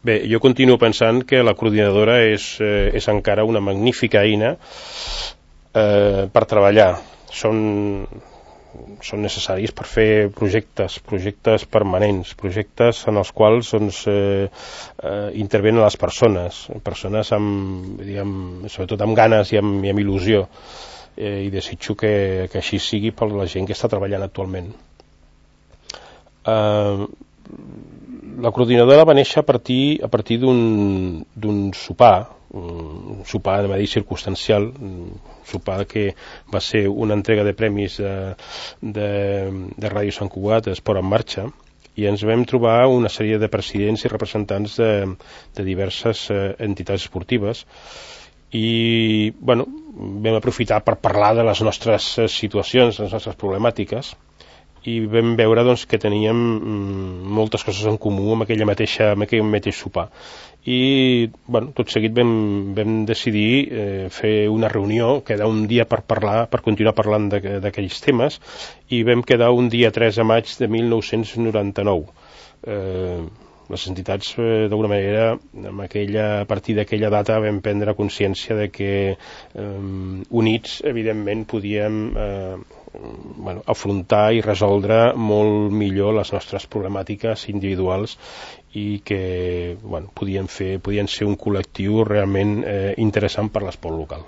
Bé, jo continuo pensant que la coordinadora és encara una magnífica eina per treballar. Són necessaris per fer projectes permanents, projectes en els quals intervenen les persones amb, sobretot amb ganes i amb il·lusió, i desitjo que així sigui per la gent que està treballant actualment. La coordinadora va néixer a partir d'un sopar, un sopar, anem a dir, circumstancial, un sopar que va ser una entrega de premis de Ràdio Sant Cugat, d'Esport en Marxa, i ens vam trobar una sèrie de presidents i representants de diverses entitats esportives, i bueno, vam aprofitar per parlar de les nostres situacions, les nostres problemàtiques, i vam veure que teníem moltes coses en comú amb aquell mateix sopar, i bueno, tot seguit vam decidir fer una reunió, quedar un dia per continuar parlant d'aquells temes, i vam quedar un dia 3 de maig de 1999. Les entitats, d'alguna manera, a partir d'aquella data vam prendre consciència de que units, evidentment, podíem afrontar i resoldre molt millor les nostres problemàtiques individuals, i que podien ser un col·lectiu realment interessant per l'esport local.